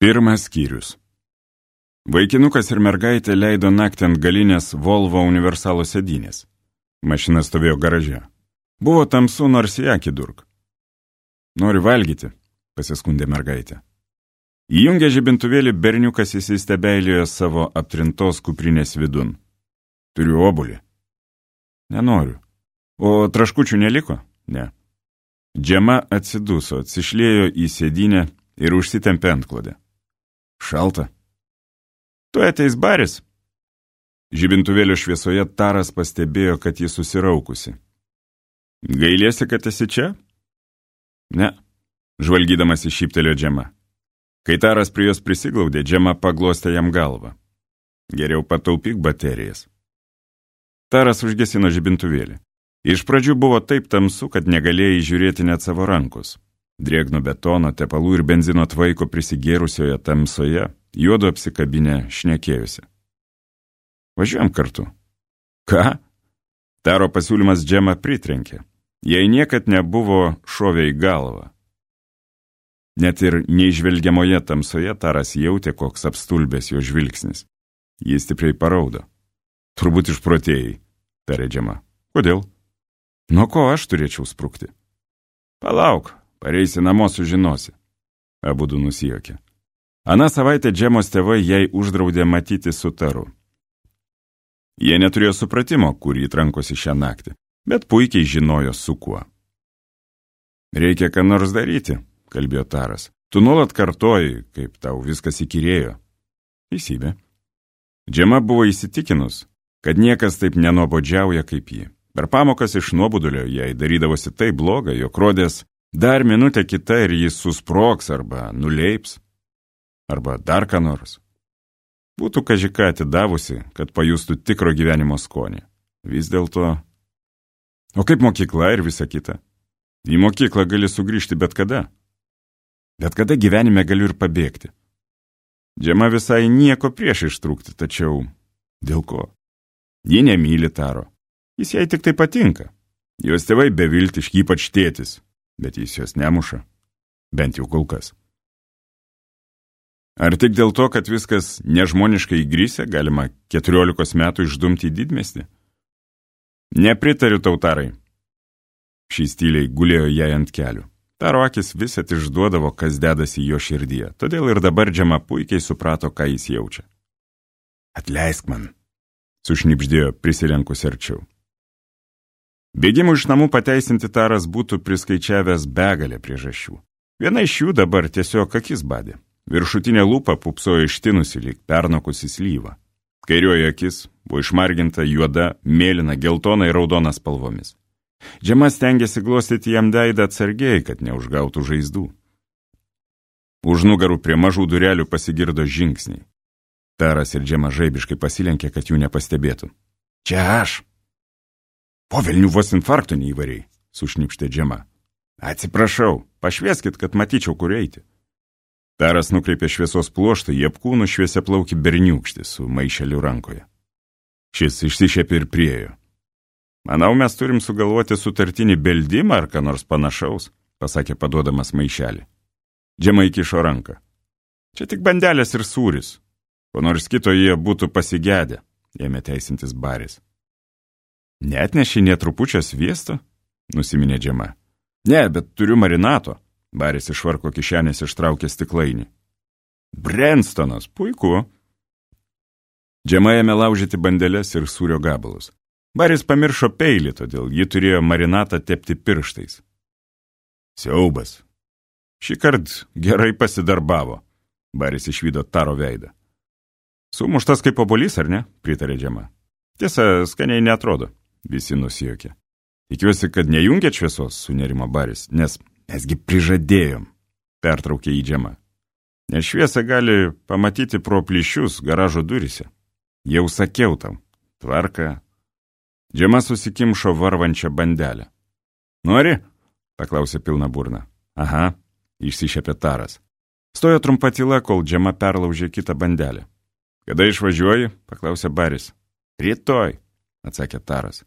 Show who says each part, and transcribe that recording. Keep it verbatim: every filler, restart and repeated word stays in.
Speaker 1: Pirmas skyrius. Vaikinukas ir mergaitė leido naktį ant galinės Volvo universalo sėdynės. Mašina stovėjo garaže. Buvo tamsu, nors į akį durk. Nori valgyti, pasiskundė mergaitė. Įjungė žibintuvėlį, berniukas įsistebeilijo savo aptrintos kuprinės vidun. Turiu obuolį. Nenoriu. O traškučių neliko? Ne. Džema atsiduso, atsišlėjo į sėdynę ir užsitempė antklodę. Šalta. Tu ateis baris. Žibintuvėlio šviesoje Taras pastebėjo, kad ji susiraukusi. Gailėsi, kad esi čia? Ne, žvalgydamas įšyptelėjo Džema. Kai Taras prie jos prisiglaudė, Džema paglostė jam galvą. Geriau pataupyk baterijas. Taras užgesino žibintuvėlį. Iš pradžių buvo taip tamsu, kad negalėjai žiūrėti net savo rankos. Drėgno betono, tepalų ir benzino tvaiko prisigėrusioje tamsoje, juodu apsikabinę šnekėjusi. Važiuojam kartu. Ką? Taro pasiūlymas Džemą pritrenkė. Jai niekad nebuvo šovę į galvą. Net ir neižvelgiamoje tamsoje Taras jautė, koks apstulbęs jo žvilgsnis. Jis stipriai paraudo. Turbūt išprotėjai, tarė Džema. Kodėl? Nuo ko aš turėčiau sprukti? Palauk, pareisi namo sužinosi. Abudu nusijuokė. Aną savaitę Džemos tėvai jai uždraudė matyti su Taru. Jie neturėjo supratimo, kur jį trankosi šią naktį, bet puikiai žinojo su kuo. Reikia ką nors daryti, kalbėjo Taras. Tu nuolat kartoji, kaip tau viskas įkyrėjo. Teisybė. Džema buvo įsitikinus, kad niekas taip nenuobodžiauja kaip ji. Per pamokas iš nuobodulio jai darydavosi taip bloga, jog rodės dar minutę kita ir jis susproks arba nuleips, arba dar ką nors. Būtų kažką atidavusi, kad pajustų tikro gyvenimo skonį. Vis dėlto... O kaip mokykla ir visa kita? Į mokyklą gali sugrįžti bet kada. Bet kada gyvenime galiu ir pabėgti. Džema visai nieko prieš ištrūkti, tačiau... Dėl ko? Ji nemyli Taro. Jis jai tik tai patinka. Jos tėvai beviltiški, ypač tėtis, bet jis jos nemuša. Bent jau kol kas. Ar tik dėl to, kad viskas nežmoniškai įgrisę, galima keturiolikos metų išdumti į didmiestį? Nepritariu tau, Tarai. Šis tyliai gulėjo jai ant kelių. Taro akis visat išduodavo, kas dedasi jo širdyje, todėl ir dabar Džema puikiai suprato, ką jis jaučia. Atleisk man, sušnibždėjo prisilenkus arčiau. Bėgimų iš namų pateisinti Taras būtų priskaičiavęs begalę priežasčių. Viena iš jų dabar tiesiog akis badė. Viršutinė lūpa pupsojo ištinusi lyg pernokusi slyva. Kairioji akis buvo išmarginta juoda, mėlyna, geltona ir raudona spalvomis. Džema stengėsi glostyti jam veidą atsargiai, kad neužgautų žaizdų. Už nugarų prie mažų durelių pasigirdo žingsniai. Taras ir Džema žaibiškai pasilenkė, kad jų nepastebėtų. Čia aš. Po velnių vos infarkto neįvariai, sušnipštė Džema. Atsiprašau, pašvieskit, kad matyčiau, kur eiti. Taras nukreipė šviesos pluoštą į apkūnų šviesiaplaukį berniūkštį su maišeliu rankoje. Šis išsišėpė ir priejo. Manau, mes turim sugalvoti sutartinį beldimą ar ką nors panašaus, pasakė paduodamas maišelį. Džema įkišo ranką. Čia tik bandelės ir sūris. Ko nors kito jie būtų pasigedę, ėmė teisintis baris. Neatneši nė trupučio sviesto? Nusiminė Džema. Ne, bet turiu marinato. Baris iš švarko kišenės ištraukė stiklainį. Brenstonas, puiku. Džema ėmė laužyti bandeles ir sūrio gabalus. Baris pamiršo peilį, todėl ji turėjo marinatą tepti pirštais. Siaubas. Šįkart gerai pasidarbavo. Baris išvydo Taro veidą. Sumuštas kaip obuolys, ar ne? Pritarė Džema. Tiesa, skaniai neatrodo. Visi nusijuokė. Tikiuosi, kad nejungėt šviesos, sunerimo Baris, nes mesgi prižadėjom, pertraukė į Džema. Nes šviesą gali pamatyti pro plyšius garažo durise. Jau sakiau tau, tvarka. Džema susikimšo varvančią bandelę. Nori? Paklausė pilna burna. Aha, išsišėpė Taras. Stojo trumpa tyla, kol Džema perlaužė kitą bandelę. Kada išvažiuoji? Paklausė Baris. Rytoj, atsakė Taras.